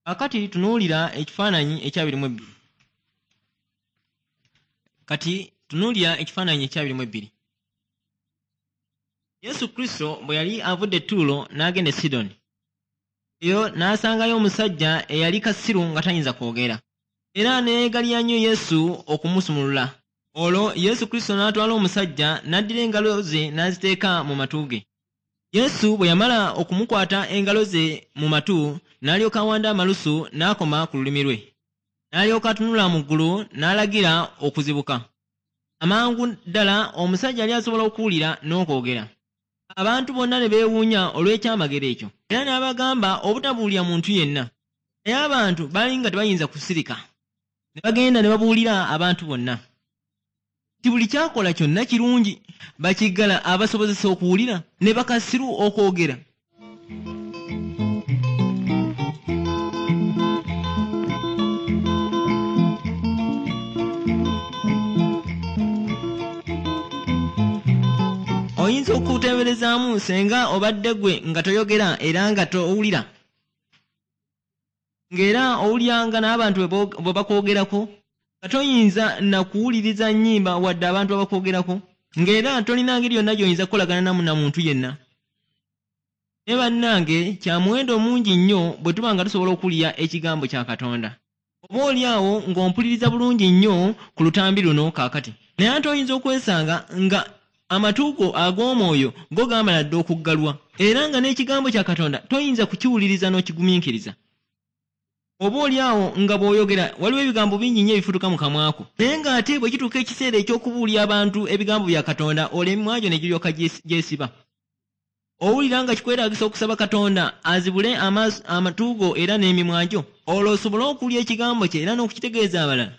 Kaakati tunuulira ekifaananyi ekyabiri mu 2. Kati tunuulira ekifaananyi ekyabiri mu 2. Yesu Kristo bwe yali avudde e Ttuulo n'agenda e Sidoni, eyo n'asangayo omusajja eyali kasiru nga tayinza kwogera, era ne yeegalira nnyo Yesu okumusumulula. Olwo Yesu Kristo n'atwala omusajja n'addira engalo ze n'aziteeka mu matu ge. Yesu bwe yamala okumukwata engalo ze mu matu, n'alyoka awanda amalusu n'akoma ku lulimi lwe. N'alyoka atunula mu ggulu n'alagira okuzibuka. Amangu ddala omusajja yali asobola okuwulira n'okwogera. Abantu bonna ne beewuunya olw'ekyamagero ekyo. Era n'abagamba obutabuulira muntu yenna. Naye abantu baali nga tebayinza kusirika. Ne bagenda ne babuulira abantu bonna. Nti buli ky'akola kyonna kirungi. Bakiggala abasobozesa okuwulira, ne bakasiru okwogera. Oyinza okuteeberezaamu senga obadde ggwe nga toyogera era nga towulira, ng'era owulira nga n'abantu bwe bakwogerako, nga toyinza na kuwuliriza nnyimba wadde abantu abakwogerako, ng'era tolina ngeri yonna gy'oyinza kukolagana na muntu yenna. Naye bannange kya muwendo mungi nnyo bwe tuba nga tusobola okuwulira ekigambo kya Katonda. Oba oli awo ng'ompuliriza bulungi nnyo ku lutambi luno kaakati, naye ate oyinza okwesanga nga amatu go ag'omwoyo go gaamala dda okuggalwa, era nga n'ekigambo kya Katonda toyinza kukiwuliriza n'okigumiikiriza. Oba oli awo nga bw'oyogera waliwo ebigambo bingi nnyo ebifutuka mu kamwa ko, naye ng'ate bwe kituuka ekiseera eky'okubuulira abantu ebigambo bya Katonda, olwo emimwa gyo ne giryoka gyesiba. Owulira nga kikwetaagisa okusaba Katonda azibule amatu go era n'emimwa gyo, olwo osobole okuwulira ekigambo kye era n'okukitegeeza abalala?